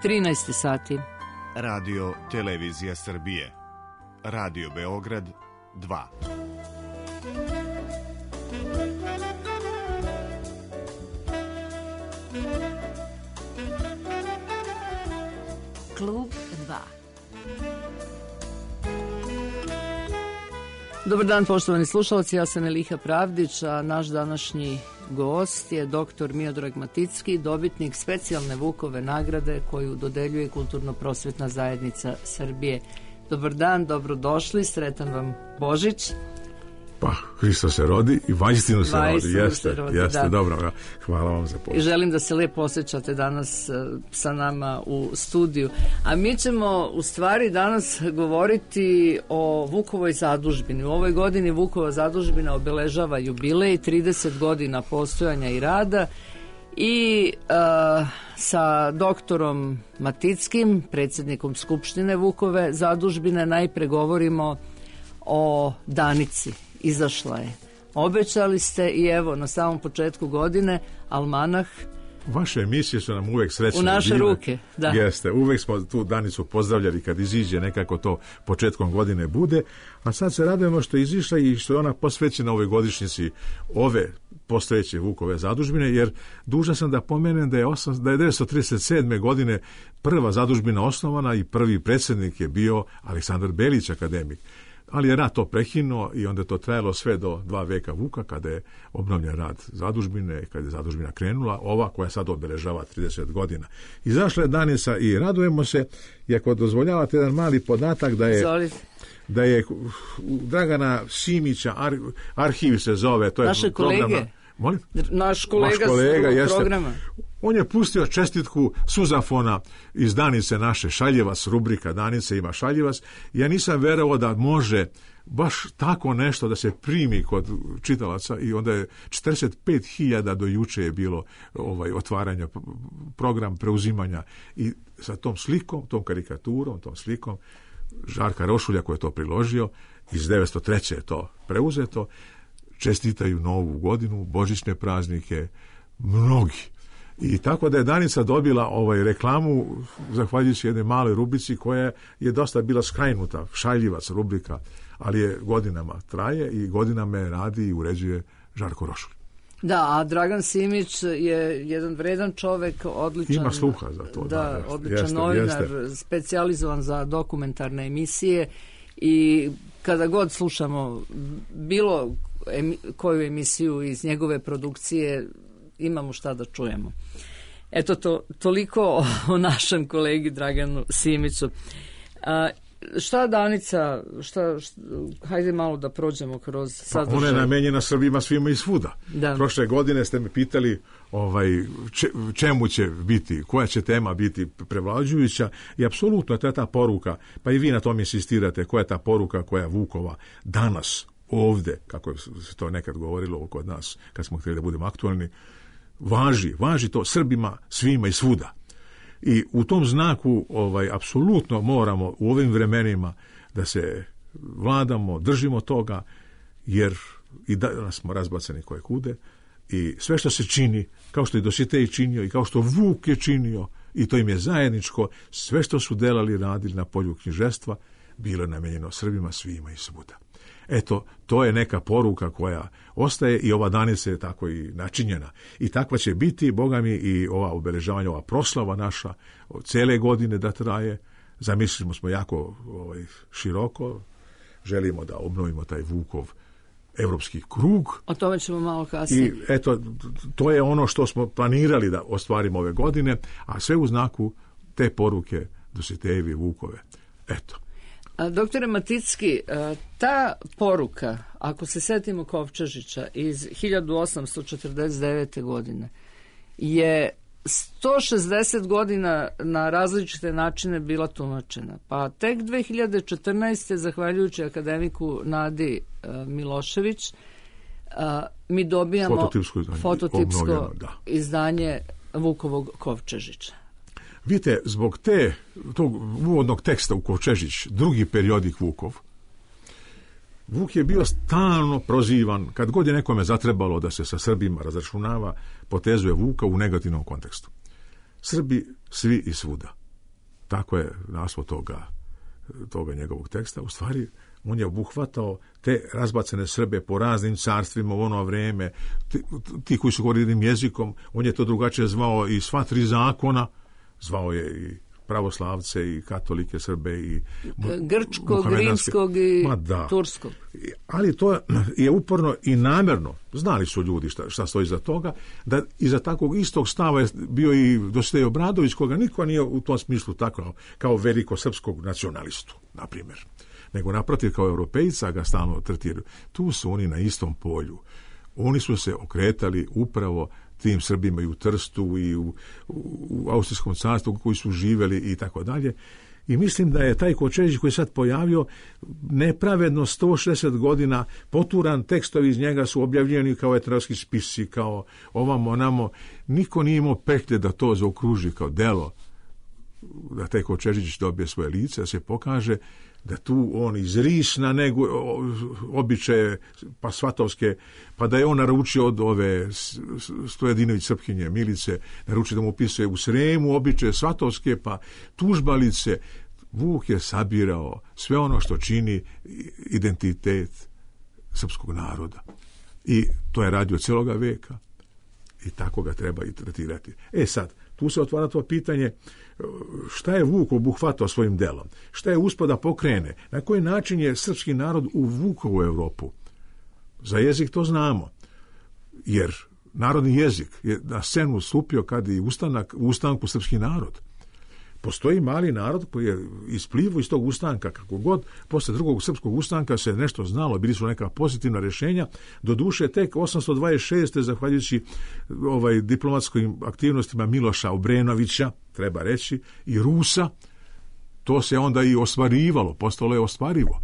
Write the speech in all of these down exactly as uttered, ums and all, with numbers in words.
trinaest sati. Radio Televizija Srbije. Radio Beograd dva. Klub dva. Dobar dan, poštovani slušalci, ja sam Eliha Pravdić, a naš današnji gost je doktor Miodrag Maticki, dobitnik specijalne Vukove nagrade koju dodeljuje Kulturno-prosvetna zajednica Srbije. Dobar dan, dobrodošli, sretan vam Božić. Pa, Hristo se rodi i vajstinu se Vajstinu rodi, jeste, se rodi, jeste, da. Dobro, hvala vam za I poziv. želim da se lepo osjećate danas uh, sa nama u studiju. A mi ćemo u stvari danas govoriti o Vukovoj zadužbini. U ovoj godini Vukova zadužbina obeležava jubilej, trideset godina postojanja i rada, i uh, sa doktorom Matickim, predsjednikom Skupštine Vukove zadužbine, najpre govorimo o Danici. Izašla je. Obećali ste i evo na samom početku godine almanah. Vaše emisije su nam uvek srećne. U naše divne. ruke, da. Jeste, uvek smo tu Danicu pozdravljali kad iziđe, nekako to početkom godine bude, a sad se radujemo što je izišla i što je ona posvećena ovoj godišnjici ove postojeće Vukove zadužbine, jer dužan sam da pomenem da je, osam, da je devetsto trideset sedme godine prva zadužbina osnovana i prvi predsjednik je bio Aleksandar Belić, akademik. Ali je rat to prekinuo i onda je to trajalo sve do dva veka Vuka, kada je obnovljen rad zadužbine, kada je zadužbina krenula, ova koja sad obeležava trideset godina. Izašla je Danica i radujemo se, i ako dozvoljavate jedan mali podatak da je, Zolite. da je Dragana Simića, ar, arhiv se zove, to je Naše programa. kolege. Molim? Naš kolega, Naš kolega s jeste. programa. On je pustio čestitku suzafona iz Danice naše, Šaljevac, rubrika Danice ima Šaljevac. Ja nisam verovao da može baš tako nešto da se primi kod čitalaca, i onda je četrdeset pet hiljada do juče je bilo ovaj otvaranja, program preuzimanja, i sa tom slikom, tom karikaturom, tom slikom Žarka Rošulja koji je to priložio, iz devetsto treće je to preuzeto. Čestitaju novu godinu, božićne praznike, mnogi. I tako da je Danica dobila ovaj reklamu zahvaljujući jednoj maloj rubrici koja je dosta bila skrajnuta, Šaljivac rubrika, ali je godinama traje i godinama je radi i uređuje Žarko Rošulj. Da, a Dragan Simić je jedan vredan čovek, odličan. Ima sluha za to. Da, da jeste, odličan jeste, novinar, jeste. specijalizovan za dokumentarne emisije, i kada god slušamo bilo emi, koju emisiju iz njegove produkcije, imamo šta da čujemo. Eto, to, toliko o, o našem kolegi Draganu Simiću. A, šta Danica, šta, šta, hajde malo da prođemo kroz sadržaj. Pa ona je namenjena Srbima svima i svuda. Da. Prošle godine ste me pitali ovaj, če, čemu će biti, koja će tema biti prevlađujuća, i apsolutno to je ta poruka, pa i vi na tom insistirate, koja je ta poruka koja Vukova danas ovde, kako se to nekad govorilo kod nas, kad smo htjeli da budemo aktualni, važi, važi to Srbima svima i svuda. I u tom znaku ovaj, apsolutno moramo u ovim vremenima da se vladamo, držimo toga, jer i danas smo razbacani koje kude, i sve što se čini, kao što je Dositej činio i kao što Vuk je činio, i to im je zajedničko, sve što su delali, radili na polju književstva, bilo je namenjeno Srbima svima i svuda. Eto, to je neka poruka koja ostaje, i ova Danica je tako i načinjena. I takva će biti, Boga mi, i ova obeležavanja, ova proslava naša, cele godine da traje. Zamislimo smo jako ovaj, široko, želimo da obnovimo taj Vukov evropski krug. O tome ćemo malo kasnije. I eto, to je ono što smo planirali da ostvarimo ove godine, a sve u znaku te poruke Dositejevi Vukove. Eto. A, doktore Maticki, ta poruka, ako se setimo Kovčežića iz hiljadu osamsto četrdeset devete. godine, je sto šezdeset godina na različite načine bila tumačena. Pa tek dve hiljade četrnaeste. zahvaljujući akademiku Nadi Milošević, mi dobijamo fototipsko izdanje, fototipsko da. izdanje Vukovog Kovčežića. Vidite, zbog te, tog uvodnog teksta u Kovčežić, drugi periodik Vukov, Vuk je bio stalno prozivan, kad god je nekome zatrebalo da se sa Srbima razračunava, potezuje Vuka u negativnom kontekstu. Srbi svi i svuda. tako je naslov toga, toga njegovog teksta. U stvari, on je obuhvatao te razbacane Srbe po raznim carstvima u ono vrijeme, ti, ti koji su govorili jednim jezikom, on je to drugačije zvao i sva tri zakona, zvao je i pravoslavce i katolike Srbe i grčkog, rimskog i da. turskog. Ali to je uporno i namjerno, znali su ljudi šta, šta stoji za toga, da iza takvog istog stava je bio i Dositej Obradović, koga niko nije u tom smislu tako kao veliko srpskog nacionalistu, na primjer, nego naprotiv kao europejca ga stalno tretiraju. Tu su oni na istom polju. Oni su se okretali upravo tim Srbima i u Trstu i u, u Austrijskom carstvu koji su živjeli i tako dalje. I mislim da je taj Kočević koji je sad pojavio nepravedno sto šezdeset godina poturan, tekstovi iz njega su objavljeni kao etnografski spisi, kao ovamo, onamo. Niko nije imao petlje da to zaokruži kao delo, da taj Kočević dobije svoje lice, da se pokaže da tu on izrisna nego običaje pa svatovske, pa da je on naručio od ove Stojedinović Srpkinje Milice, naručio da mu opisuje u Sremu običaje svatovske, pa tužbalice. Vuk je sabirao sve ono što čini identitet srpskog naroda. I to je radio cijeloga veka i tako ga treba i tretirati. E sad, tu se otvara to pitanje šta je Vuk obuhvatao svojim delom, šta je uspio da pokrene, na koji način je srpski narod uvukao u Europu. Za jezik to znamo, jer narodni jezik je na scenu stupio kad je ustanak, u ustanku srpski narod. Postoji mali narod koji je isplivao iz tog ustanka, kako god, posle drugog srpskog ustanka se nešto znalo, bili su neka pozitivna rješenja, do duše tek osamsto dvadeset šeste zahvaljujući ovaj, diplomatskim aktivnostima Miloša Obrenovića, treba reći, i Rusa, to se onda i ostvarivalo, postalo je ostvarivo.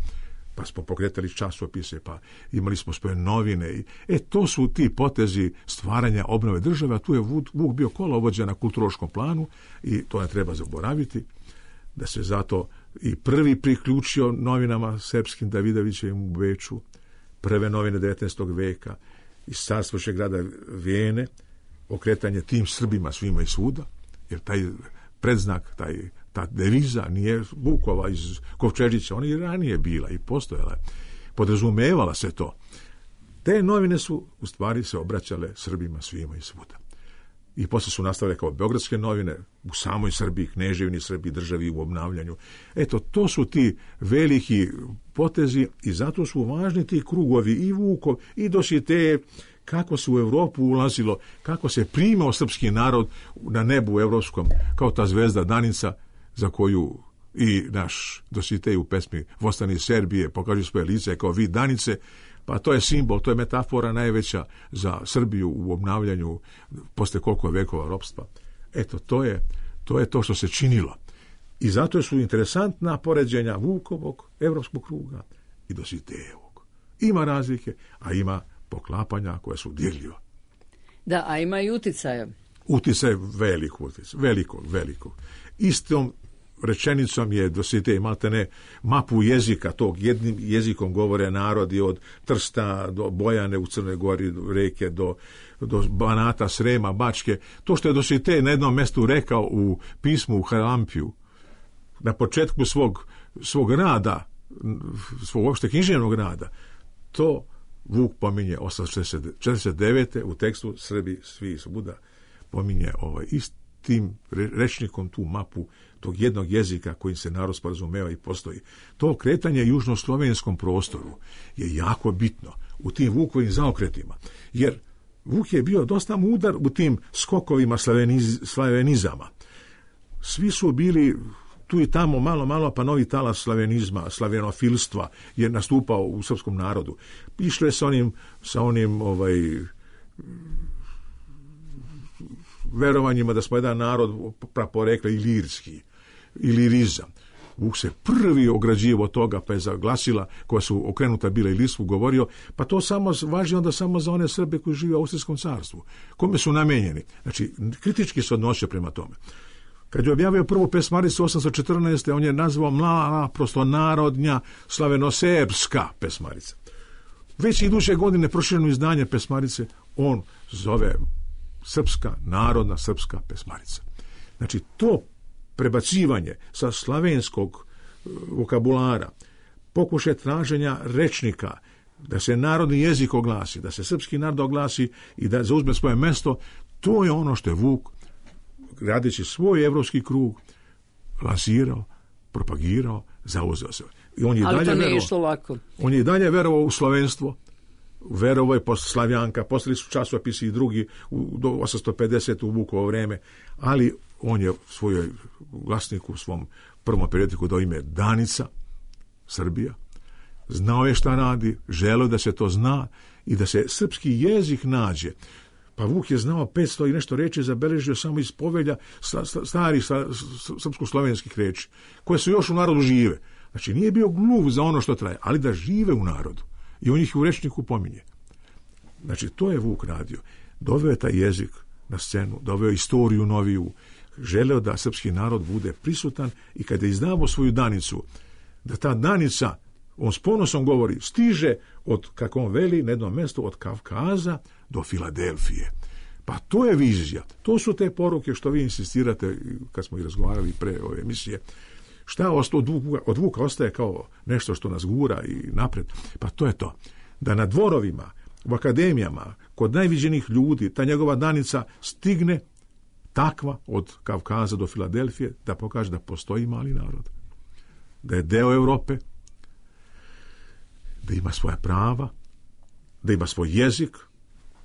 Pa smo pokretali časopise, pa imali smo svoje novine. I, e, to su ti potezi stvaranja obnove države, a tu je Vuk bio kolovođa na kulturološkom planu i to ne treba zaboraviti, da se zato i prvi priključio novinama srpskim Davidovićevim u Beču, prve novine devetnaestog veka, iz carstvošeg grada Vijene, okretanje tim Srbima svima i svuda, jer taj predznak, taj ta deviza nije Vukova iz Kovčežića, ona i ranije bila i postojala. Podrazumevala se to. Te novine su u stvari se obraćale Srbima svima i svuda. I posle su nastavile kao beogradske novine u samoj Srbiji, Kneževini Srbiji, državi u obnavljanju. Eto, to su ti veliki potezi i zato su važni ti krugovi i Vukov i Dositeje, kako se u Europu ulazilo, kako se primao srpski narod na nebu evropskom, kao ta zvezda Danica, za koju i naš Dositej u pesmi Vostani Serbije pokaže svoje lice kao vid Danice, pa to je simbol, to je metafora najveća za Srbiju u obnavljanju posle koliko vekova ropstva. Eto, to je, to je to što se činilo. I zato su interesantna poređenja Vukovog, evropskog kruga i Dositejevog. Ima razlike, a ima poklapanja koje su dirljiva. Da, a ima i uticaja. Uticaj veliko, uticaj, veliko, veliko. Istom rečenicom je Dositej maltene mapu jezika, tog jednim jezikom govore narodi od Trsta do Bojane u Crnoj Gori, reke do, do Banata, Srema, Bačke. To što je Dositej na jednom mjestu rekao u pismu u Harampiju, na početku svog, svog rada, svog uopšte književnog rada, to Vuk pominje osamsto četrdeset devete u tekstu Srbi svi i svuda, pominje ovaj istim rečnikom tu mapu tog jednog jezika kojim se narod sporazumeva i postoji. To kretanje južnoslovenskom prostoru je jako bitno u tim Vukovim zaokretima, jer Vuk je bio dosta mudar u tim skokovima slaveniz, slavenizama. Svi su bili tu i tamo malo, malo, pa novi talas slavenizma, slavenofilstva je nastupao u srpskom narodu. Išlo je sa onim, sa onim ovaj, verovanjima da smo jedan narod praporekla ilirski, ilirizam. Vuk se prvi ograđivo od toga, pa je zaglasila, koja su okrenuta bila ilirstvu, govorio, pa to samo važi onda samo za one Srbe koji žive u Austrijskom carstvu. Kome su namenjeni? Znači, kritički se odnosio prema tome. Kad je objavio prvu pesmaricu osamsto četrnaeste. on je nazvao mlada, prosto narodnja, slavenoserbska pesmarica. Već iduće godine prošireno izdanje pesmarice on zove srpska, narodna srpska pesmarica. Znači, to prebacivanje sa slavenskog vokabulara, pokušaj traženja rečnika, da se narodni jezik oglasi, da se srpski narod oglasi i da zauzme svoje mesto, to je ono što je Vuk, radeći svoj evropski krug, lansirao, propagirao, zauzeo se. I on je Ali dalje to nije verovao, išlo lako. On je dalje verovao u slovenstvo, verovao je posle Slavjanka, postali su časopisi i drugi u, do osamsto pedeset u Vukovo vreme, ali on je svojoj glasniku, u svom prvom periodiku dao ime Danica, Srbija. Znao je šta radi, želeo da se to zna i da se srpski jezik nađe. Pa Vuk je znao petsto i nešto reči, zabeležio samo iz povelja starih srpsko-slovenskih reči, koje su još u narodu žive. Znači, nije bio gluv za ono što traje, ali da žive u narodu. I on ih u rečniku pominje. Znači, to je Vuk radio. Doveo je taj jezik na scenu, doveo istoriju noviju, želeo da srpski narod bude prisutan i kada je izdavao svoju Danicu, da ta Danica, on s ponosom govori, stiže od, kako on veli, na jednom mjestu od Kavkaza do Filadelfije. Pa to je vizija. To su te poruke što vi insistirate, kad smo i razgovarali pre ove emisije, šta od Vuka, od Vuka ostaje kao nešto što nas gura i napred. Pa to je to. Da na dvorovima, u akademijama, kod najviđenih ljudi, ta njegova Danica stigne takva od Kavkaza do Filadelfije, da pokaže da postoji mali narod, da je deo Europe, da ima svoja prava, da ima svoj jezik,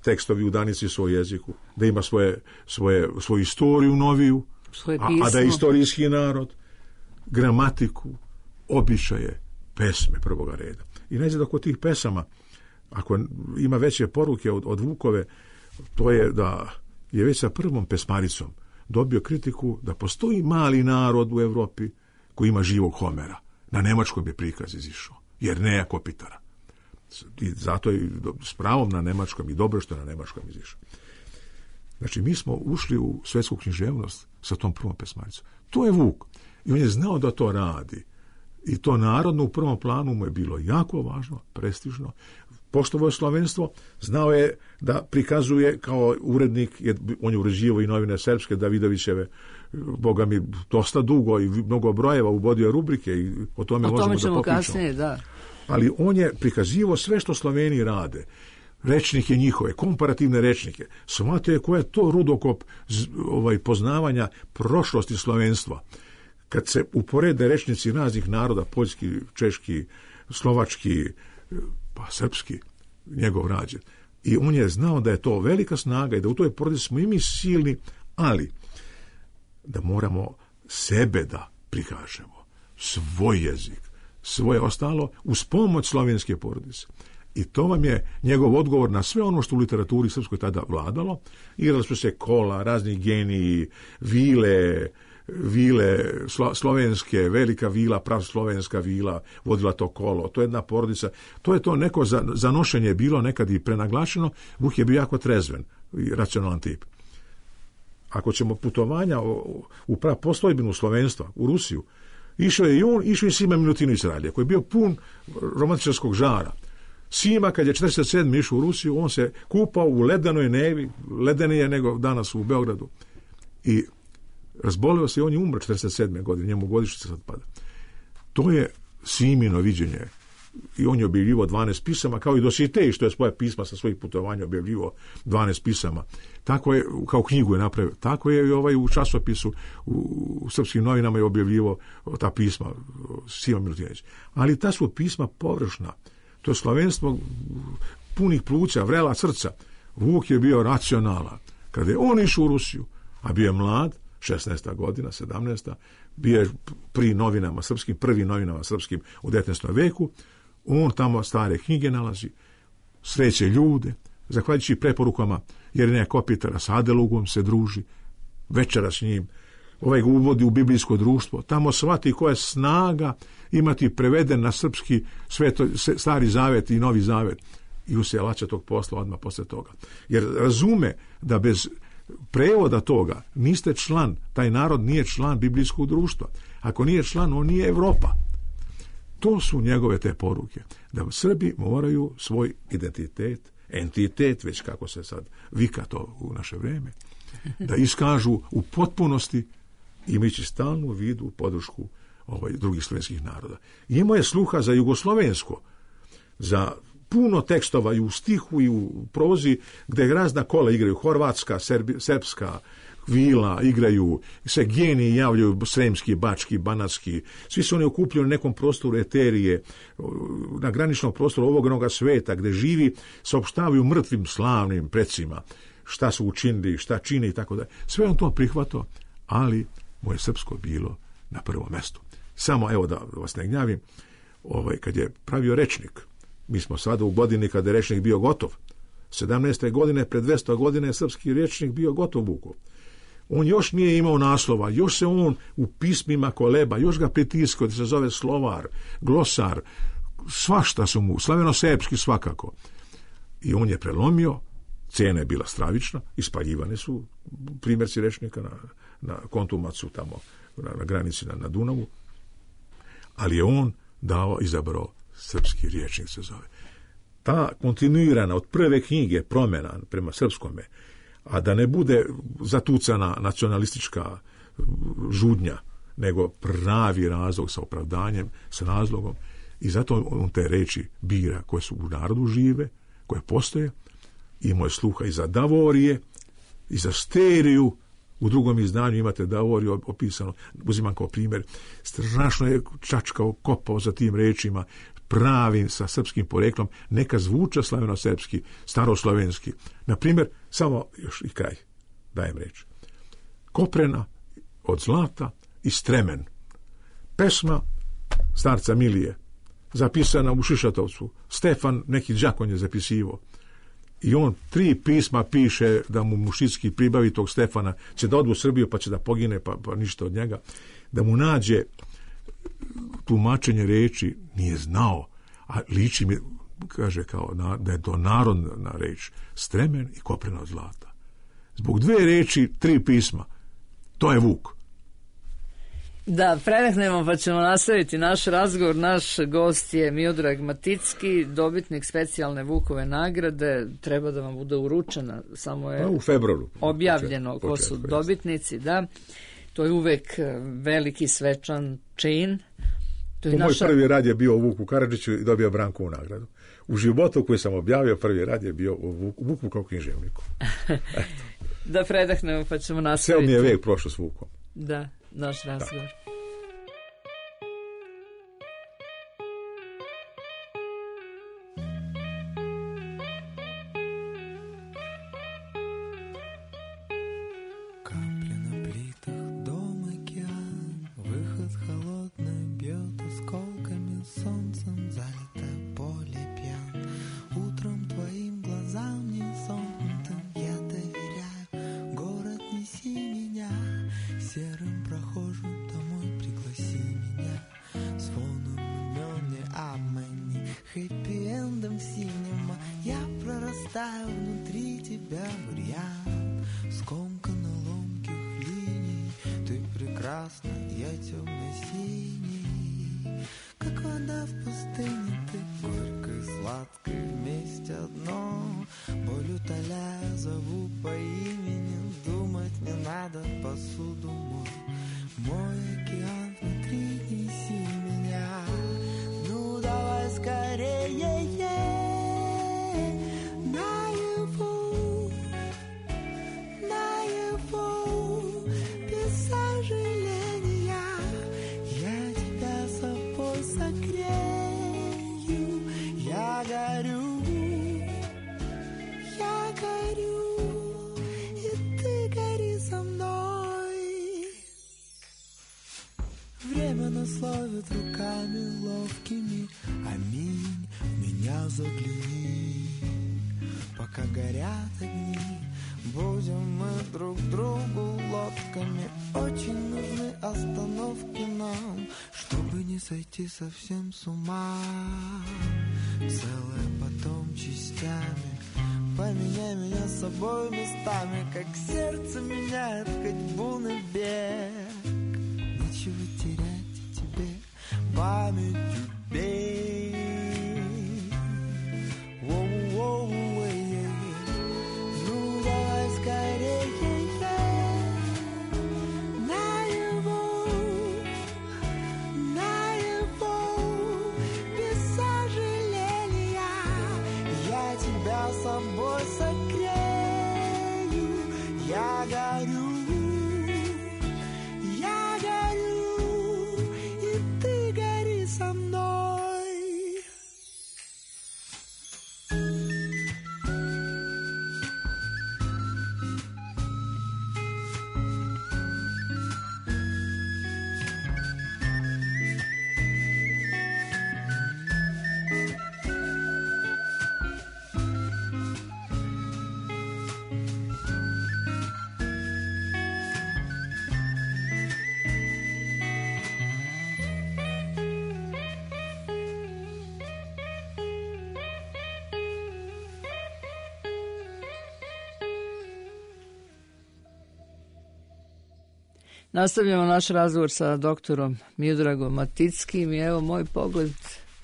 tekstovi u Danici svoj jeziku, da ima svoje, svoje, svoju istoriju noviju, a, a da je istorijski narod, gramatiku, običaje, pesme prvoga reda. I ne znam da kod tih pesama, ako ima veće poruke od, od Vukove, to je da je već sa prvom pesmaricom dobio kritiku da postoji mali narod u Evropi koji ima živog Homera. Na nemačkom je prikaz izišao, jer nema Kopitara. I zato je s pravom na nemačkom i dobro što je na nemačkom izišao. Znači, mi smo ušli u svetsku književnost sa tom prvom pesmaricom. To je Vuk. I on je znao da to radi. I to narodno u prvom planu mu je bilo jako važno, prestižno. Poštovao je slovenstvo, znao je da prikazuje kao urednik, on je uređivao i novine srpske, Davidovićeve, boga mi, dosta dugo i mnogo brojeva, uvodio rubrike i o tome, o tome možemo da popričamo. Kasnije, da. Ali on je prikazivao sve što Sloveni rade. Rečnike njihove, komparativne rečnike. Shvatio je koja je to rudokop ovaj, poznavanja prošlosti slovenstva. Kad se uporede rečnici raznih naroda, poljski, češki, slovački, pa srpski, njegov rađen. I on je znao da je to velika snaga i da u toj porodici smo i mi silni, ali da moramo sebe da prikažemo, svoj jezik, svoje ostalo, uz pomoć slovenske porodice. I to vam je njegov odgovor na sve ono što u literaturi srpskoj tada vladalo. Igrali su se kola, razni geniji, vile, vile slo, slovenske, velika vila, pravoslovenska vila, vodila to kolo. To je jedna porodica. To je to neko za, zanošenje bilo nekad i prenaglašeno. Vuk je bio jako trezven i racionalan tip. Ako ćemo putovanja u, u postojbinu slovenstva, u Rusiju, išao je i on, išao i Sima Milutinović Ralje, koji je bio pun romantičarskog žara. Sima, kad je četrdeset sedme išao u Rusiju, on se kupao u ledenoj Nevi, ledenije nego danas u Beogradu. I razbolio se i on je umro četrdeset sedme godine, njemu godišnjica sad pada. To je Simino viđenje. I on je objavljivo dvanaest pisama, kao i Dositej, što je svoje pisma sa svojih putovanja objavljivo dvanaest pisama. Tako je, kao knjigu je napravio. Tako je i ovaj u časopisu, u, u srpskim novinama je objavljivo ta pisma Sima Milutinović. Ali ta su pisma površna. To je slovenstvo punih pluća, vrela srca. Vuk je bio racionalan. Kada je on išao u Rusiju, a bio je mlad, šesnaesta godina, sedamnaesta, bio je pri novinama srpskim, prvi novinama srpskim u devetnaestom veku, on tamo stare knjige nalazi, sreće ljude, zahvaljujući preporukama Jerneja Kopitara, s Adelugom se druži, večera s njim, ovaj ga uvodi u biblijsko društvo, tamo shvati koja je snaga imati preveden na srpski sveto, stari zavet i novi zavet i usjelaća tog posla odmah posle toga. Jer razume da bez prevoda toga niste član, taj narod nije član biblijskog društva. Ako nije član, on nije Evropa. To su njegove te poruke. Da Srbi moraju svoj identitet, entitet, već kako se sad vika to u naše vreme, da iskažu u potpunosti imajući stalnu vidu podršku ovaj, drugih slovenskih naroda. I imao je sluha za jugoslovensko, za puno tekstova i u stihu i u prozi, gde razna kola igraju, horvatska, serbi, srpska, vila, igraju, sve geniji javljaju, sremski, bački, banatski, svi su oni okupljeni u nekom prostoru eterije, na graničnom prostoru ovog onoga sveta, gde živi, saopštavaju mrtvim slavnim precima, šta su učinili, šta čine i tako da. Sve on to prihvatao, ali mu je srpsko bilo na prvom mestu. Samo, evo da vas ne gnjavim, ovaj, kad je pravio rečnik, mi smo sada u godini kada je rečnik bio gotov, sedamnaeste godine, pred dvesta godina je srpski rečnik bio gotov Vukov. On još nije imao naslova, još se on u pismima koleba, još ga pritiskao da se zove slovar, glosar, svašta su mu, slaveno-srpski svakako. I on je prelomio, cena je bila stravična, ispaljivane su primjerci rečnika na, na Kontumacu, tamo na, na granici na, na Dunavu, ali je on dao, izabrao srpski rječnik se zove. Ta kontinuirana od prve knjige promjena prema srpskome, a da ne bude zatucana nacionalistička žudnja, nego pravi razlog sa opravdanjem, sa razlogom, i zato on te reči bira koje su u narodu žive, koje postoje, imao je sluha i za Davorije, i za Steriju. U drugom izdanju imate Davoriju opisano, uzimam kao primjer, strašno je čačkao, kopao za tim rečima, pravim sa srpskim poreklom, neka zvuča slaveno-srpski, staroslovenski. Na primjer, samo još i kraj, dajem reč. Koprena od zlata i stremen. Pesma starca Milije, zapisana u Šišatovcu. Stefan, neki đakon je zapisivo. I on tri pisma piše da mu Mušicki pribavi tog Stefana, će da odu u Srbiju pa će da pogine, pa, pa ništa od njega. Da mu nađe tumačenje reči, nije znao, a liči mi, kaže, kao na, da je to narodna reč, stremen i koprena od zlata. Zbog dve reči, tri pisma. To je Vuk. Da, prenehnemo pa ćemo nastaviti naš razgovor. Naš gost je Miodrag Maticki, dobitnik specijalne Vukove nagrade. Treba da vam bude uručena, samo je pa u februaru objavljeno počet, ko su počet, dobitnici. Da. To je uvek veliki svečan čin. To je to naša... Moj prvi rad je bio u Vuku Karadžiću i dobio Brankovu nagradu. U životu koji sam objavio, prvi rad je bio u Vuku, Vuku kao književniku. Da predahnemo pa ćemo nastaviti. Ceo mi je vek prošao s Vukom. Da, naš razgovor. Da. Словит руками ловкими, аминь, в меня загляни. Пока горят огни, будем мы друг другу лодками. Очень нужны остановки нам, чтобы не сойти совсем с ума. Целое потом частями, поменяй меня с собой местами, как сердце меняет ходьбу на бег. Нечего терять тебе, памятью бей. Воу-воу, эй-эй. Ну давай скорее, наяву, Nastavljamo naš razgovor sa doktorom Miodragom Matickim i evo moj pogled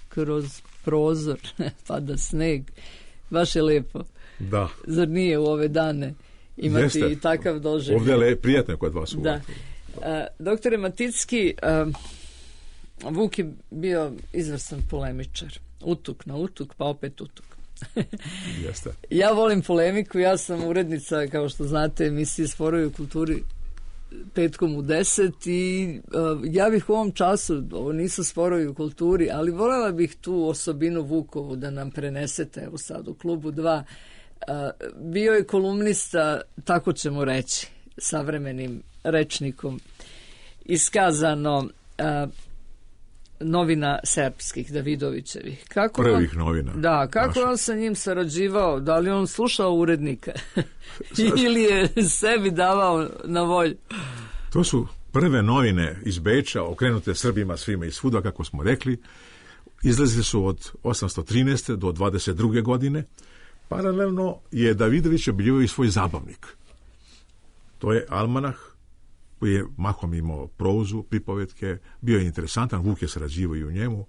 kroz prozor, pada sneg, baš je lijepo. Da. Zar nije u ove dane imati Jeste. i takav doživljaj? Ovdje je le, prijatno kod vas. Da. A, doktore Maticki, a, Vuk je bio izvrstan polemičar. Utuk na utuk, pa opet utuk. Jeste. Ja volim polemiku, ja sam urednica, kao što znate, emisije Sporovi u kulturi petkom u deset i uh, ja bih u ovom času, ovo nisu Sporovi u kulturi, ali voljela bih tu osobinu Vukovu da nam prenesete, evo sad u klubu dva. Uh, bio je kolumnista, tako ćemo reći, savremenim rečnikom, iskazano uh, novina serbskih, Davidovićevih. Kako Prvih on, novina. Da, kako naša. on sa njim sarađivao? Da li on slušao urednika? Ili je sebi davao na volju? To su prve novine iz Beča, okrenute Srbima svima i svuda, kako smo rekli. Izlazili su od osamsto trinaeste do dvadeset druge godine. Paralelno je Davidović objavio i svoj zabavnik. To je almanah, koji je mahom imao prozu, pripovetke, bio je interesantan, Vuk je sarađivao i u njemu.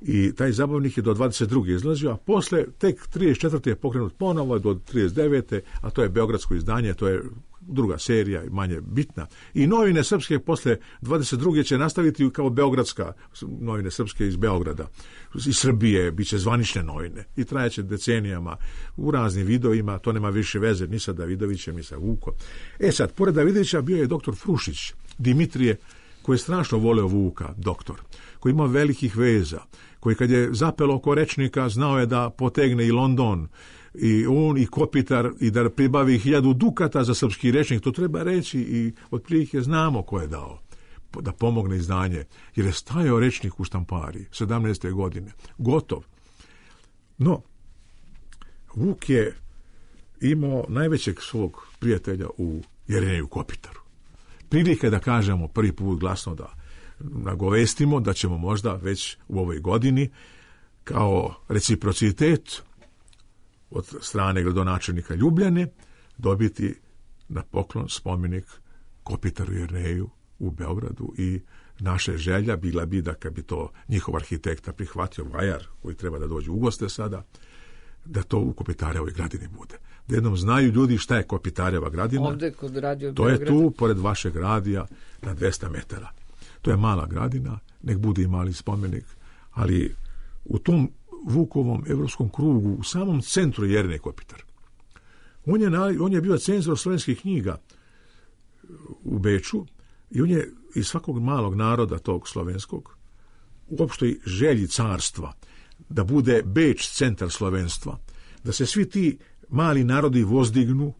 I taj zabavnik je do dvadeset druge izlazio, a posle tek trideset četvrte je pokrenut ponovo do trideset devete a to je beogradsko izdanje, to je druga serija, manje bitna. I novine srpske posle dvadeset druge će nastaviti kao beogradska, novine srpske iz Beograda. Iz Srbije bit će zvanične novine i trajaće decenijama u raznim vidovima, to nema više veze ni sa Davidovićem, ni sa Vukom. E sad, pored Davidovića bio je doktor Frušić, Dimitrije, koji je strašno voleo Vuka, doktor, koji ima velikih veza, koji kad je zapelo oko rečnika znao je da potegne i London, i on i Kopitar, i da pribavi hiljadu dukata za srpski rečnik, to treba reći i otprilike znamo ko je dao da pomogne izdanje, jer je stajao rečnik u štampari sedamnaeste godine, gotov. No, Vuk je imao najvećeg svog prijatelja u Jerneju Kopitaru. Prilike da kažemo prvi put glasno, da nagovestimo da ćemo možda već u ovoj godini kao reciprocitet od strane gradonačelnika Ljubljane dobiti na poklon spomenik Kopitaru Jerneju u Beogradu i naša želja bila bi da kad bi to njihov arhitekta prihvatio, Vajar, koji treba da dođe u goste sada, da to u Kopitarevoj gradini bude. Da jednom znaju ljudi šta je Kopitareva gradina. Ovde kod radio To Beograd. je tu, pored vašeg radija, na dvesta metara. To je mala gradina, nek bude i mali spomenik, ali u tom Vukovom evropskom krugu, u samom centru Jernej Kopitar. On je, on je bio cenzor slovenskih knjiga u Beču i on je iz svakog malog naroda tog slovenskog, u opštoj želji carstva, da bude Beč centar slovenstva, da se svi ti mali narodi vozdignu,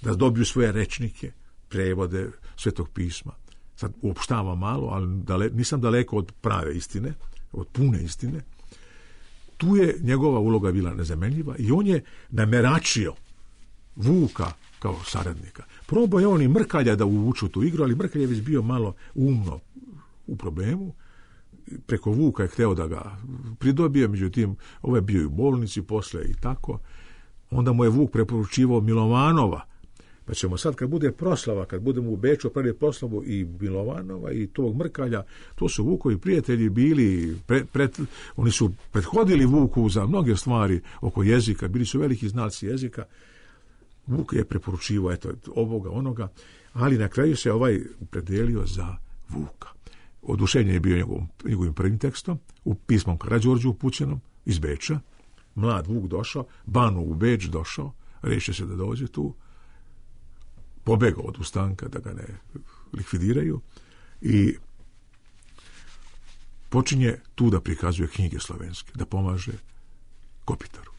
da dobiju svoje rečnike, prevode Svetog pisma. Sad uopštavam malo, ali dale, nisam daleko od prave istine, od pune istine. Tu je njegova uloga bila nezamenljiva i on je nameračio Vuka kao saradnika. Probao je on i Mrkalja da uvuču tu igru, ali Mrkalj je već bio malo umno u problemu. Preko Vuka je hteo da ga pridobije, međutim, ovo je bio i u bolnici posle i tako. Onda mu je Vuk preporučivao Milovanova. Pa ćemo sad, kad bude proslava, kad budemo u Beču pravi proslavu i Milovanova i tog Mrkalja, to su Vukovi prijatelji bili, pre, pred, oni su prethodili Vuku za mnoge stvari oko jezika, bili su veliki znalci jezika. Vuk je preporučivao eto, ovoga, onoga, ali na kraju se ovaj predelio za Vuka. Oduševljen je bio njegovim, njegovim prvim tekstom, u pismom Karađorđu upućenom iz Beča. Mlad Vuk došao, Banu u Beč došao, rešio se da dođe tu, pobegao od ustanka da ga ne likvidiraju i počinje tu da prikazuje knjige slovenske, da pomaže Kopitaru.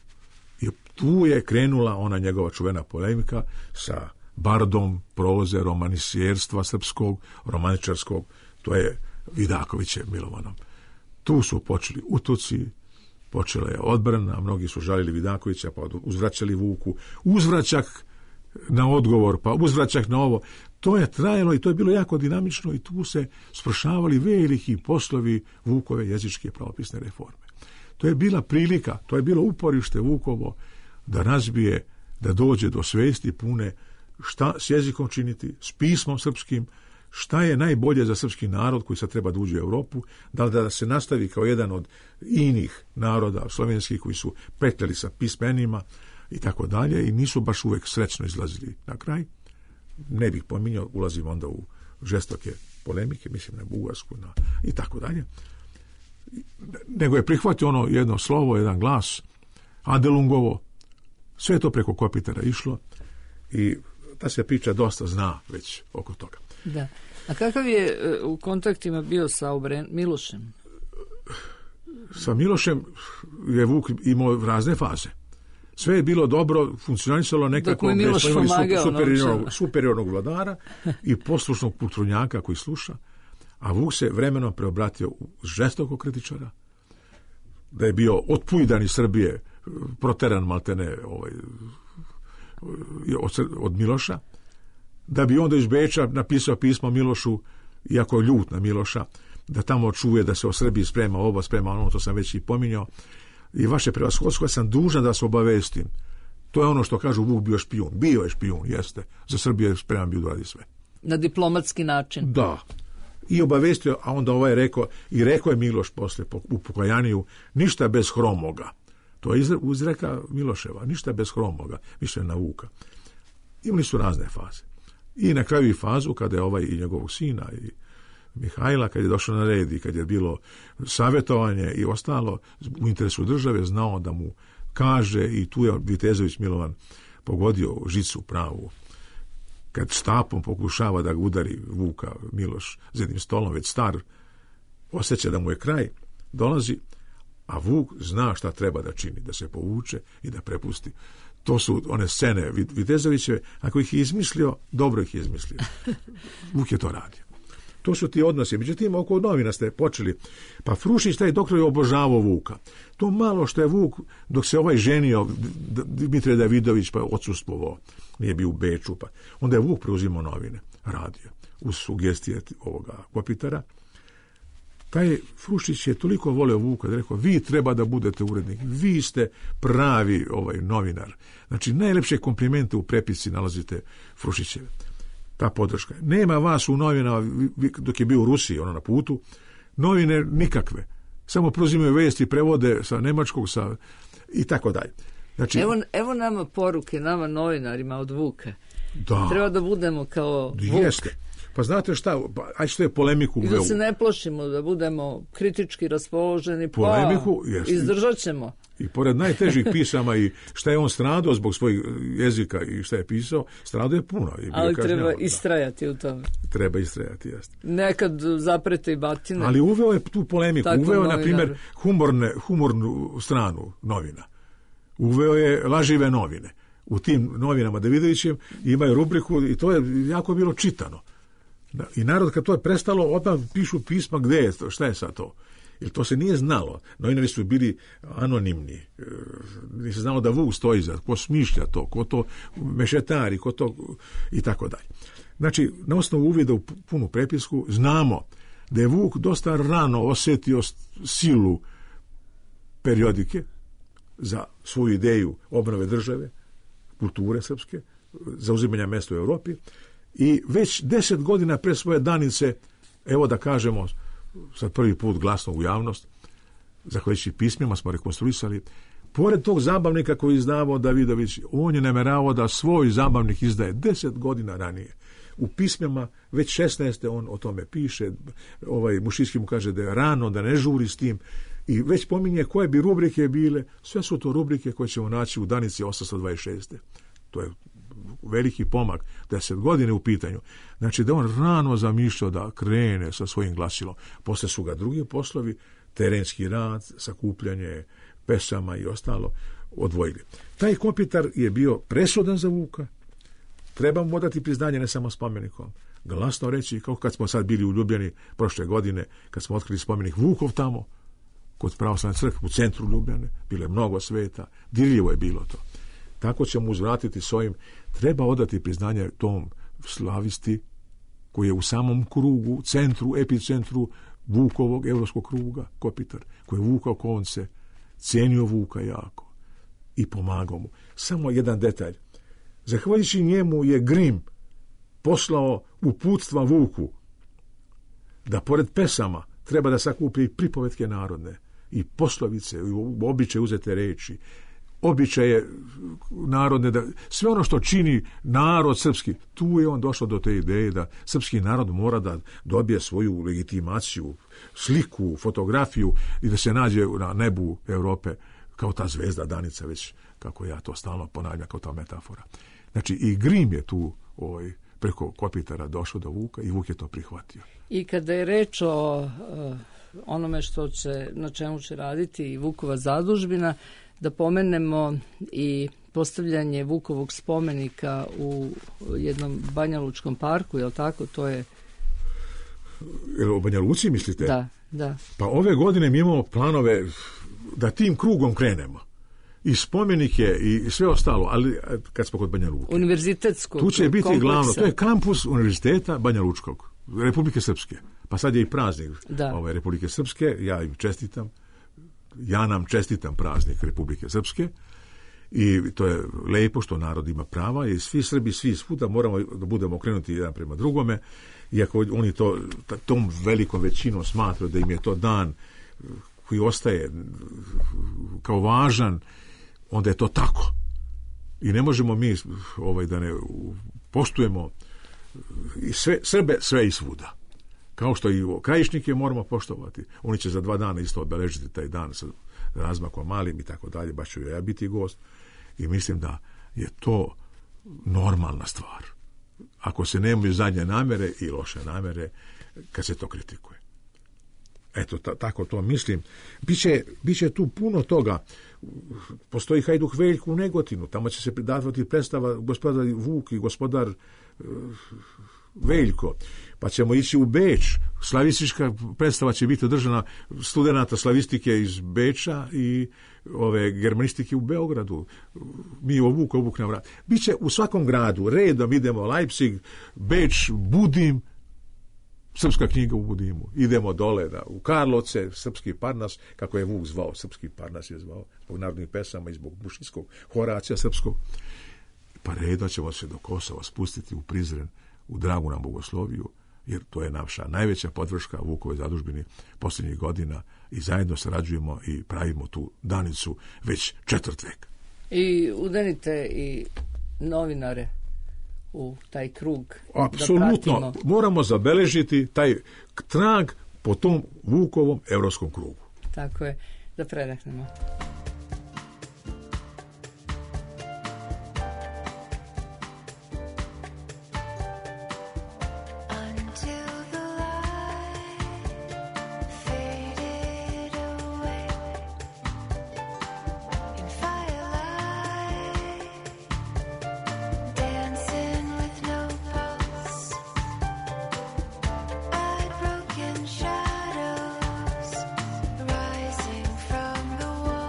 I tu je krenula ona njegova čuvena polemika sa bardom proze romanisijerstva srpskog, romaničarskog, to je Vidakovićem Milovanom. Tu su počeli utoci, počela je odbrana, mnogi su žalili Vidakovića, pa uzvraćali Vuku, uzvraćak na odgovor, pa uzvraćak na ovo. To je trajalo i to je bilo jako dinamično i tu se svršavali veliki poslovi Vukove jezičke pravopisne reforme. To je bila prilika, to je bilo uporište Vukovo da razbije, da dođe do svesti pune šta s jezikom činiti, s pismom srpskim, šta je najbolje za srpski narod koji sad treba da uđe u Europu, da li da se nastavi kao jedan od inih naroda slovenskih koji su petljali sa pismenima i tako dalje i nisu baš uvek srećno izlazili na kraj. Ne bih pominjao, ulazim onda u žestoke polemike, mislim na Bugarsku na, i tako dalje. Nego je prihvatio ono jedno slovo, jedan glas, Adelungovo, sve je to preko Kopitara išlo i ta se priča dosta zna već oko toga. Da. A kakav je u kontaktima bio sa Obren Milošem? Sa Milošem je Vuk imao razne faze. Sve je bilo dobro, funkcionisalo nekako. Dok mu Miloš pomagao. Superiornog, superiornog vladara i poslušnog kulturnjaka koji sluša. A Vuk se vremenom preobratio u žestokog kritičara. Da je bio otpujdan iz Srbije, proteran maltene ovaj, od, od Miloša. Da bi onda iz Beča napisao pismo Milošu, iako je ljut na Miloša, da tamo čuje da se o Srbiji sprema ovo, sprema ono, to sam već i pominjao. I vaše prevashodstvo, sam dužan da vas obavestim. To je ono što kažu Vuk bio špijun. Bio je špijun, jeste. Za Srbiju je spreman bio da radi sve. Na diplomatski način. Da. I obavestio, a onda ovaj rekao, i rekao je Miloš posle u pokajaniju, ništa bez Hromoga. To je izreka Miloševa, ništa bez Hromoga, više na Vuka. Imali su razne faze. I na kraju i fazu kada je ovaj i njegovog sina i Mihajla, kad je došao na red i kad je bilo savjetovanje i ostalo u interesu države, znao da mu kaže, i tu je Vitezović Milovan pogodio žicu pravu, kad štapom pokušava da ga udari Vuka Miloš za jednim stolom, već star, osjeća da mu je kraj, dolazi, a Vuk zna šta treba da čini, da se povuče i da prepusti. To su one scene Vitezovićeve, ako ih je izmislio, dobro ih je izmislio. Vuk je to radio. To su ti odnosi. Međutim, oko novina ste počeli. Pa Frušić, taj doktor, je obožavao Vuka. To malo što je Vuk, dok se ovaj ženio, Dimitrije Davidović, pa odsustvovao, nije bio u Beču, pa onda je Vuk preuzimao novine, radio, uz sugestije ovoga Kopitara. Taj Frušić je toliko voleo Vuka da je rekao, vi treba da budete urednik, vi ste pravi ovaj novinar. Znači, najlepše komplimente u prepisci nalazite Frušićeve. Ta podrška. Nema vas u novinama, dok je bio u Rusiji, ono na putu, novine nikakve. Samo preuzimaju vesti, prevode sa nemačkog, sa i tako dalje. Znači, evo, evo nama poruke, nama novinarima od Vuka. Da. Treba da budemo kao Vuk. Jeste. Pa znate šta, aj što je polemiku uveo. I da se ne plašimo, da budemo kritički raspoloženi, polemiku, pa jeste. Izdržat ćemo. I pored najtežih pisama i šta je on stradao zbog svojeg jezika i šta je pisao, stradao je puno. I ali treba istrajati u tome. Treba istrajati, jeste. Nekad zaprete i batine. Ali uveo je tu polemiku. Tako uveo je, novinar. na primjer, humorne, humornu stranu novina. Uveo je lažive novine. U tim novinama Davidovićem imaju rubriku i to je jako bilo čitano. I narod kad to je prestalo, odmah pišu pisma gde je to, šta je sad to. Jer to se nije znalo. Novinari su bili anonimni. Nije se znalo da Vuk stoji za, ko smišlja to, ko to mešetari, ko to i tako dalje. Znači, na osnovu uvida u punu prepisku znamo da je Vuk dosta rano osjetio silu periodike za svoju ideju obnove države, kulture srpske, zauzimanja mesta u Europi. I već deset godina pre svoje danice, evo da kažemo, sad prvi put glasno u javnost, zahvaljujući pismima smo rekonstruisali, pored tog zabavnika koji je izdavao Davidović, on je nameravao da svoj zabavnik izdaje deset godina ranije. U pismima već šesnaeste on o tome piše, ovaj Mušijski mu kaže da je rano, da ne žuri s tim, i već pominje koje bi rubrike bile, sve su to rubrike koje ćemo naći u danici osamsto dvadeset šeste. To je veliki pomak, deset godine u pitanju. Znači da on rano zamišljao da krene sa svojim glasilom. Posle su ga drugi poslovi, terenski rad, sakupljanje pesama i ostalo, odvojili. Taj Kopitar je bio presudan za Vuka. Treba mu dati priznanje ne samo spomenikom. Glasno reći, kao kad smo sad bili u Ljubljani prošle godine, kad smo otkrili spomenik Vukov tamo, kod pravoslavne crkve u centru Ljubljane, bilo je mnogo sveta, dirljivo je bilo to. Tako ćemo uzvratiti s ovim. Treba odati priznanje tom slavisti koji je u samom krugu, centru, epicentru Vukovog evropskog kruga, Kopitar, koji je vukao konce, cijenio Vuka jako i pomagao mu. Samo jedan detalj. Zahvaljujući njemu je Grim poslao uputstva Vuku da pored pesama treba da sakupi i pripovetke narodne, i poslovice, i običaje uzete reči, običaje narodne, da, sve ono što čini narod srpski. Tu je on došao do te ideje da srpski narod mora da dobije svoju legitimaciju, sliku, fotografiju i da se nađe na nebu Europe kao ta zvezda Danica, već kako ja to stalno ponavljam kao ta metafora. Znači i Grim je tu ovaj, preko Kopitara došao do Vuka i Vuk je to prihvatio. I kada je reč o uh, onome što će, na čemu će raditi i Vukova zadužbina, da pomenemo i postavljanje Vukovog spomenika u jednom Banjalučkom parku, je li tako? To je... Jel o Banja Luci mislite? Da, da. Pa ove godine mi imamo planove da tim krugom krenemo. I spomenike i sve ostalo, ali kad smo kod Banja Luke. Univerzitetskog tu će biti kompleksa. Glavno, to je kampus Univerziteta Banja Lučkog, Republike Srpske. Pa sad je i praznik ove Republike Srpske, ja im čestitam. Ja nam čestitam praznik Republike Srpske i to je lepo što narod ima prava i svi Srbi, svi svuda moramo da budemo okrenuti jedan prema drugome, iako oni to tom velikom većinom smatraju da im je to dan koji ostaje kao važan, onda je to tako. I ne možemo mi ovaj, da ne poštujemo i sve, Srbe sve i svuda. Kao što i krajišnike moramo poštovati. Oni će za dva dana isto obeležiti taj dan sa razmakom malim i tako dalje, baš ću ja biti gost. I mislim da je to normalna stvar. Ako se nemaju zadnje namere i loše namere, kad se to kritikuje. Eto, ta, tako to mislim. Biće, biće tu puno toga. Postoji Hajduk Veljko u Negotinu. Tamo će se davati predstava gospodar Vuk i gospodar uh, Veljko. Pa ćemo ići u Beč. Slavistička predstava će biti održana studenata slavistike iz Beča i ove germanistike u Beogradu. Mi o Vuku, o Vuk na vrat. Biće u svakom gradu. Redom idemo Leipzig, Beč, Budim, Srpska knjiga u Budimu. Idemo dole da, u Karlovce, Srpski Parnas, kako je Vuk zvao, Srpski Parnas je zvao, zbog narodnih pesama i zbog bušinskog Horacija srpskog. Pa redom ćemo se do Kosova spustiti u Prizren, u dragu nam Bogosloviju, jer to je naša najveća podrška Vukove zadužbini posljednjih godina i zajedno sarađujemo i pravimo tu danicu već četvrt vek. I udenite i novinare u taj krug. Apsolutno, moramo zabeležiti taj trag po tom Vukovom evropskom krugu. Tako je, da predahnemo. Rising from the wall.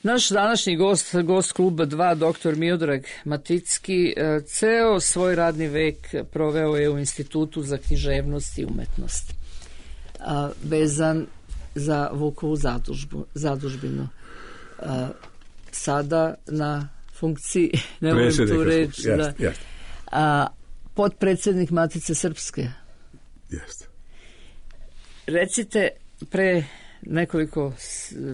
Naš današnji gost, gost kluba dva, doktor Miodrag Maticki, ceo svoj radni vek proveo je u Institutu za književnost i umetnost, vezan za Vukovu zadužbu, zadužbinu. Sada na funkciji, ne volim tu reč, jest, da, jest. A, potpredsjednik Matice Srpske. Jeste. Recite, pre nekoliko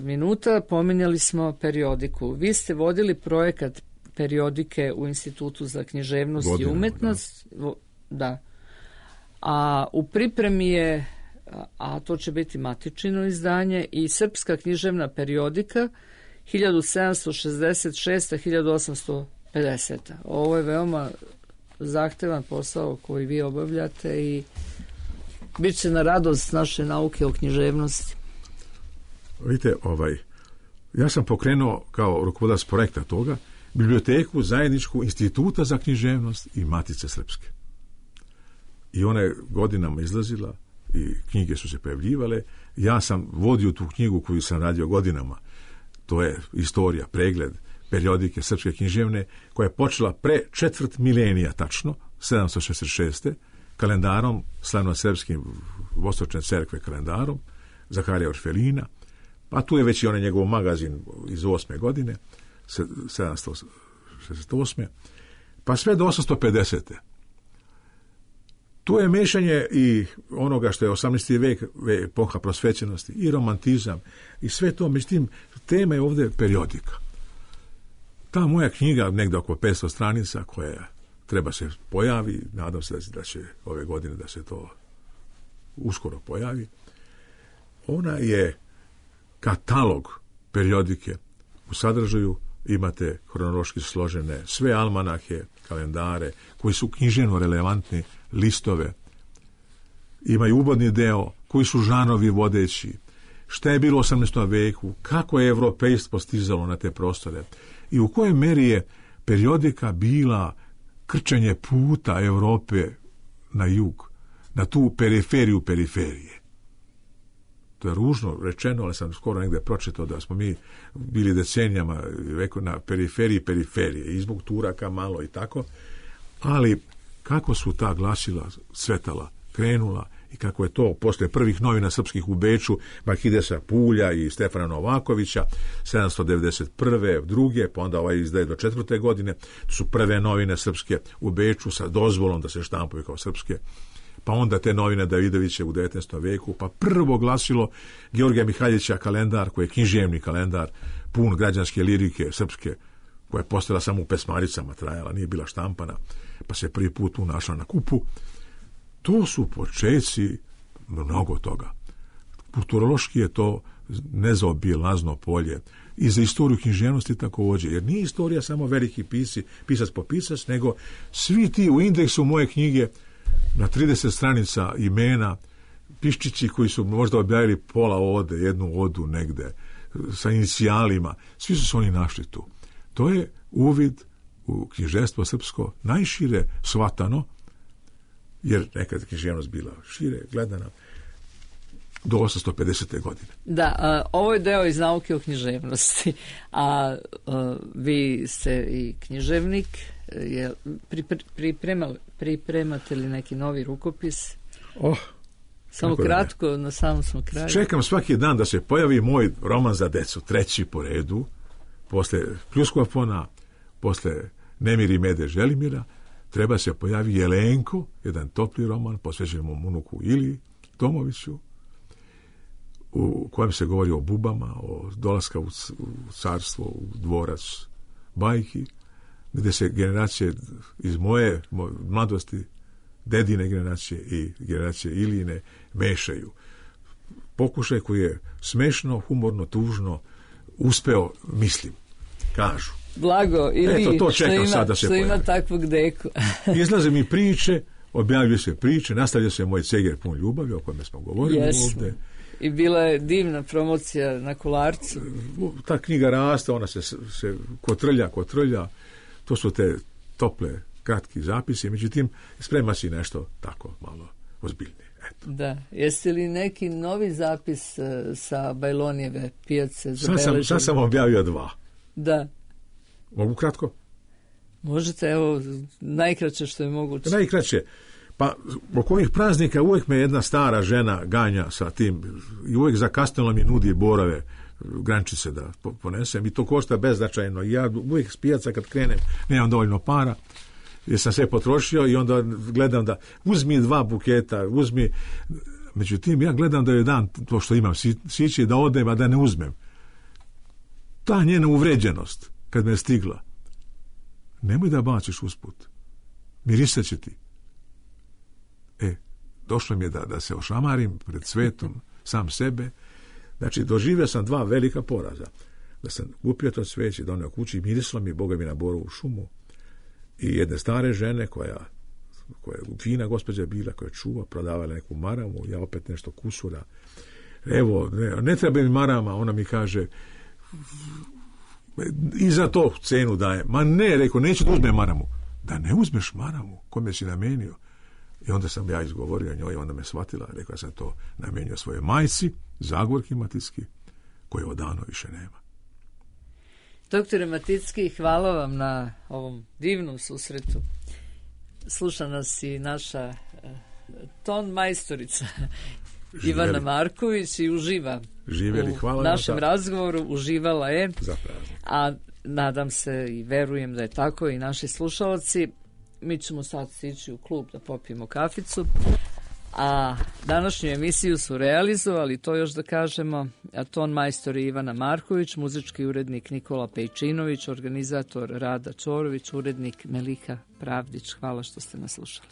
minuta pominjali smo periodiku. Vi ste vodili projekat periodike u Institutu za književnost Godinu, i umetnost. Da. da. A u pripremi je, a to će biti matičino izdanje, i Srpska književna periodika hiljadu sedamsto šezdeset šeste do hiljadu osamsto pedesete. Ovo je veoma zahtevan posao koji vi obavljate i bit će na radost naše nauke o književnosti. Vidite, ovaj, ja sam pokrenuo kao rukovodilac projekta toga biblioteku zajedničku Instituta za književnost i Matice Srpske. I ona je godinama izlazila i knjige su se pojavljivale. Ja sam vodio tu knjigu koju sam radio godinama. To je istorija, pregled periodike srpske književne, koja je počela pre četvrt milenija tačno, sedamsto šezdeset šeste kalendarom, slavno-srpskim Vostočne crkve kalendarom, Zaharija Orfelina, pa tu je već i onaj njegov magazin iz osme godine, sedamsto šezdeset osme pa sve do osamsto pedesete Tu je mešanje i onoga što je osamnaesti vek, epoha prosvećenosti, i romantizam, i sve to. Međutim, tema je ovdje periodika. Ta moja knjiga, negdje oko petsto stranica, koja treba se pojavi, nadam se da će ove godine da se to uskoro pojavi, ona je katalog periodike. U sadržaju imate hronološki složene sve almanahe, kalendare, koji su književno relevantni, listove, imaju uvodni deo, koji su žanovi vodeći, šta je bilo u osamnaestom veku, kako je evropejstvo stizalo na te prostore i u kojoj meri je periodika bila krčenje puta Evrope na jug, na tu periferiju periferije. To je ružno rečeno, ali sam skoro negdje pročitao da smo mi bili decenijama na periferiji periferije, i zbog Turaka malo i tako, ali kako su ta glasila svetala krenula i kako je to posle prvih novina srpskih u Beču, Marhidesa Pulja i Stefana Novakovića, sedamsto devedeset prve, druge, pa onda ovaj izdaje do četvrte godine, to su prve novine srpske u Beču sa dozvolom da se štampuju kao srpske, pa onda te novine Davidovića u devetnaestom veku, pa prvo glasilo Georgija Mihaljevića kalendar, koji je književni kalendar, pun građanske lirike srpske, koja je postala samo u pesmaricama, trajala, nije bila štampana, pa se prvi put tu našla na kupu. To su počeci mnogo toga. Kulturološki je to nezaobilazno polje. I za istoriju književnosti također, jer nije istorija samo veliki pisi, pisac po pisac, nego svi ti u indeksu moje knjige na trideset stranica imena, piščići koji su možda objavili pola ode, jednu odu negde, sa inicijalima, svi su se oni našli tu. To je uvid u književstvo srpsko najšire shvatano, jer nekad književnost bila šire gledana, do osamsto pedesete godine. Da, a, ovo je deo iz nauke o književnosti, a, a vi ste i književnik, je, pripre, pripremali, pripremate li neki novi rukopis? Oh, Samo kratko, na samom smo kraju. Čekam svaki dan da se pojavi moj roman za decu, treći po redu, posle Pljuskofona, posle Nemiri Mede Želimira, treba se pojavi Jelenko, jedan topli roman posvećen mom unuku Ili Tomoviću, u kojem se govori o bubama, o dolaska u carstvo, u dvorac bajki, gdje se generacije iz moje mladosti, dedine generacije i generacije Iline mešaju. Pokušaj koji je smešno, humorno, tužno uspeo, mislim, kažu. Blago, ili Eto, to čekam što, ima, sad da se što ima takvog deku. Izlaze mi priče, objavljuju se priče, nastavlja se moj ceger pun ljubavi, o kojem smo govorili Jesmo. ovdje. I bila je divna promocija na Kolarcu. Ta knjiga raste, ona se, se kotrlja, kotrlja. To su te tople, kratki zapisi, međutim, sprema si nešto tako malo ozbiljnije. Eto. Da. Jeste li neki novi zapis uh, sa Bajlonijeve pijace zabeležili? Sad sam, sad sam objavio dva. Da. Mogu kratko? Možete, evo, najkraće što je moguće. Najkraće. Pa, oko ovih praznika uvijek me jedna stara žena ganja sa tim i uvijek zakasnilo mi nudi borave, grančice da ponesem i to košta beznačajno. I ja uvijek s pijaca kad krenem nemam dovoljno para, jer sam sve potrošio i onda gledam da uzmi dva buketa, uzmi... Međutim, ja gledam da je dan to što imam sići da odem, a da ne uzmem. Ta njena uvređenost kad me je stigla, nemoj da baciš usput. Mirisat će ti. E, došlo mi je da, da se ošamarim pred svetom, sam sebe. Znači, doživio sam dva velika poraza. Da sam kupio to cveće, donio kući, mirislo mi, Boga mi, na borovu šumu. I jedne stare žene koja, koja je fina gospođa bila, koja čuva, prodavala neku maramu, ja opet nešto kusura. Evo, ne, ne treba mi marama, ona mi kaže, i za to cenu daje. Ma ne, rekao, neću da uzmem maramu. Da ne uzmeš maramu, kome si namenio? I onda sam ja izgovorio njoj, onda me shvatila, rekao sam to namenio svoje majci, Zagorki Maticki, koje odavno više nema. Doktore Maticki, hvala vam na ovom divnom susretu. Sluša nas i naša uh, ton majstorica Živjeli. Ivana Marković i uživa Živjeli. Hvala u našem ta... razgovoru, uživala je, a nadam se i verujem da je tako i naši slušalci. Mi ćemo sad stići u klub da popijemo kaficu, a današnju emisiju su realizovali, to još da kažemo, ton majstor Ivana Marković, muzički urednik Nikola Pejčinović, organizator Rada Čorović, urednik Melika Pravdić. Hvala što ste nas slušali.